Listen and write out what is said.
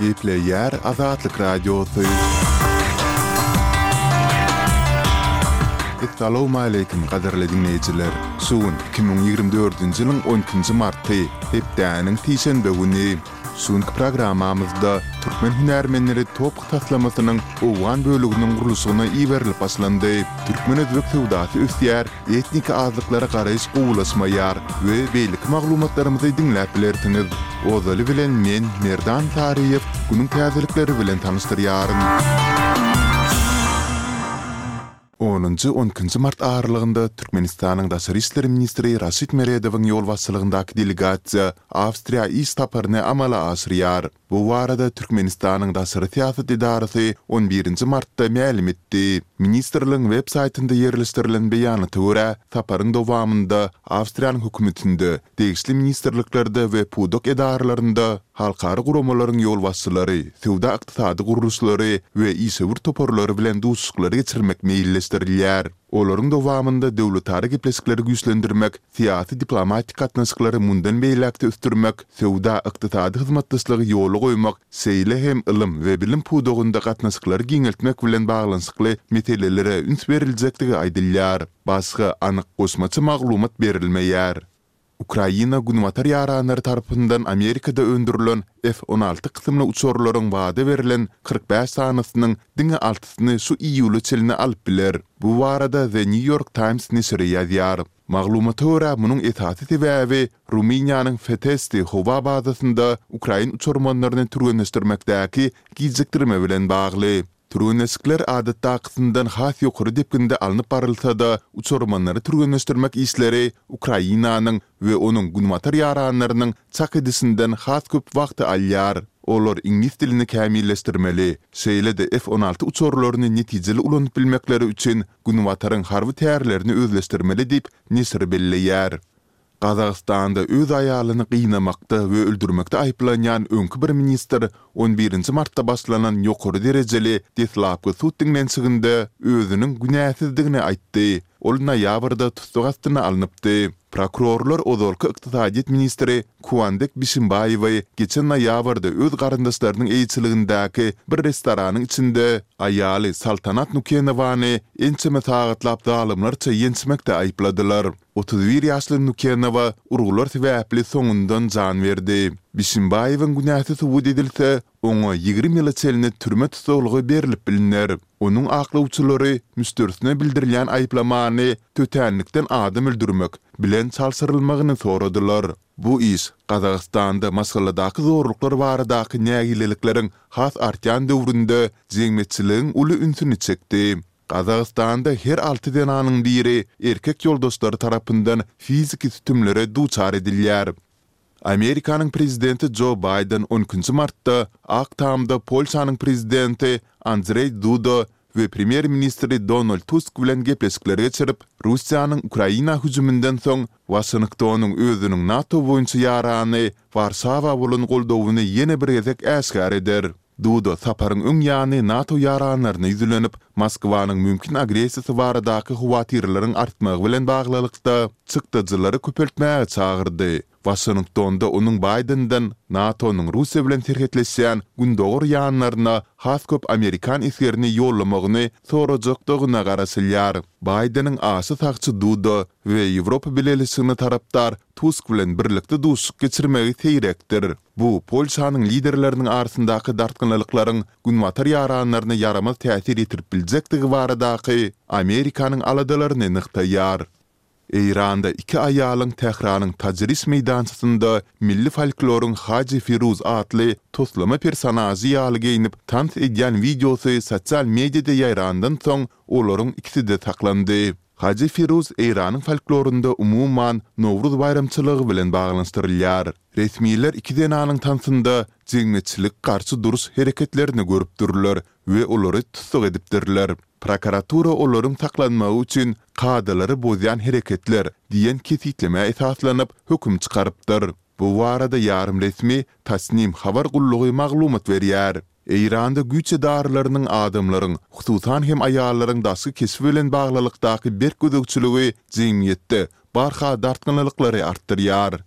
Gepleýär Azatlyk Radiosy. Essalawmaleýkim gadyrly diňleýjiler! Şu gün 2024-nji ýylyň on ikinji marty, hepdäniň sişenbe güni. Şu günki programmamyzda türkmen hünärmenleri TOPH taslamasynyň owgan böleginiň gurluşygyna iberilip başlandy. Türkmen-özbek söwdasy ösýär, etnik azlyklara garaýyş gowulaşmaýar we beýleki maglumatlarymyzy diňläp bilersiňiz. Ozaly bilen men, Merdan Saryýew, günüň täzelikleri bilen tanyşdyrýaryn. Onunjy, on ikinji mart aralygynda Türkmenistanyň daşary işler ministri Raşid Meredowyň ýolbaşçylygyndaky delegasiýa Awstriýa iş saparyny amala aşyrýar. Bu barada Türkmenistanyň daşary syýasat edarasy on birinji martda mälim etdi. Ministrligiň web saýtynda ýerleşdirilen beýanata görä, saparyň dowamynda Awstriýanyň hökümetinde, degişli ministrliklerde we pudak edaralarynda halkara guramalaryň ýolbaşçylary, söwda-ykdysady gurluşlary we işewür toparlary bilen duşuşyklary geçirmek meýilleşdirilýär. Olaryň dowamynda döwletara gepleşikleri güýçlendirmek, syýasy-diplomatik gatnaşyklary mundan beýläk-de ösdürmek, söwda-ykdysady hyzmatdaşlygy ýola goýmak, şeýle hem ylym we bilim pudagynda gatnaşyklary giňeltmek bilen baglanyşykly meselelere üns beriljekdigi aýdylýar. Başga anyk goşmaça maglumat berilmeýär. Ukraina günbatar ýaranlary tarapyndan Amerikada öndürilen F 16 kysymly uçarlaryň wada berlen 45 sanysynyň diňe altysyny şu iýula çenli alyp biler. Bu barada The New York Times neşiri ýazýar. Maglumata görä, munuň esasy sebäbi Rumyniýanyň Fetesti howa bazasynda ukrain uçarmanlaryny türgenleşdirmekdäki gijikdirme bilen bagly. Türgenleşikler adatdakysyndan has ýokary depginde alnyp barylsa-da, uçarmanlary türgenleşdirmek işleri Ukrainanyň we onuň günbatar ýaranlarynyň çak edişinden has köp wagty alýar. Olar iňlis dilini kämilleşdirmeli, şeýle-de F 16 uçarlaryny netijeli ulanyp bilmekleri üçin Günbataryň harby tärlerini özleşdirmeli diýip, neşir belleýär. Gazagystanda öz aýalyny gynamakda we öldürmekde aýyplanýan öňki bir ministr on birinji martda başlanan ýokary derejeli deslapky sud diňlenişiginde özüniň günäsizdigini aýtdy. Ol noýabrda tussag astyna alnypdy. Prokurorlar ozalky ykdysadyýet ministri Kuandek Bişimbaýewi geçen noýabrda öz garyndaşlarynyň eýeçiligindäki bir restoranyň içinde aýaly Saltanat Nukenowany ençeme sagatlap zalymlarça ýençmekde aýypladylar. 31 ýaşly Nukenowa urgular sebäpli soňundan jan berdi. Bişimbaýewiň günäsi subut edilse, oňa 20 ýyla çenli türme tussaglygy berlip bilner. Onuň aklawçylary müşderisine bildirilýän aýyplamany tötänlikden adam öldürmek bilen çalşyrylmagyny soradylar. Bu iş Gazagystanda maşgaladaky zorluklar baradaky nägilelikleriň has artýan döwründe jemgyýetçiligiň uly ünsüni çekdi. Gazagystanda her alty zenanyň biri erkek ýoldaşlary tarapyndan fiziki sütümlere duçar edilýär. Amerikanyň prezidenti Jo Baýden on ikinji martda Ak Tamda Polşanyň prezidenti Andrzej Duda we premýer-ministri Donald Tusk bilen gepleşikler geçirip, Russiýanyň Ukraina hüjüminden soň Waşingtonyň özüniň NATO boýunça ýarany Warşawa bolan goldawyny ýene bir gezek äşgär eder. Duda saparyň öň ýany NATO ýaranlaryna ýüzlenip, Moskwanyň mümkin agressiýasy baradaky howatyrlaryň artmagy bilen baglylykda, çykdajylary köpeltmäge çagyrdy. Waşingtonda onuň Baýdenden NATO-nyň Russiýa bilen serhetleşýän gündogar ýanlaryna has köp amerikan esgerini ýollamagyny sorajakdygyna garaşylýar. Baýdeniň aşa sagçy Duda we Ýewropa Bileleşigine tarapdar Tusk bilen birlikde duşuşyk geçirmegi seýrekdir. Bu Polşanyň liderleriniň arasyndaky dartgynlylyklaryň Günbatar ýaranlaryna ýaramaz täsir ýetirip biljekdigi baradaky Amerikanyň aladalaryny nygtaýar. Eýranda iki aýalyň Tähranyň Tajriş meýdançasynda milli folkloryň Haji Firuz atly toslama personažy ýaly geýnip tans edýän wideosy sosial mediada ýaýrandan soň olaryň ikisi-de saklandy. Haji Firuz Eýranyň folklorynda umuman Nowruz baýramçylygy bilen baglanyşdyrylýar. Resmiler iki zenanyň tansynda jemgyýetçilik garşy duruş hereketlerini görüpdirler we olary tussag edipdirler. Prokuratura olaryň saklanmagy üçin kadalary bozýan hereketler diýen kesgitlemä esaslanyp, höküm çykarypdyr. Bu barada ýarym resmi Tasnim habar gullugy maglumat berýär. Eýranda güýç edaralarynyň adamlaryň, hususan hem aýallaryň daşky keşbi bilen baglylykdaky berk gözegçiligi jemgyýetde barha dartgynlylyklary artdyrýar.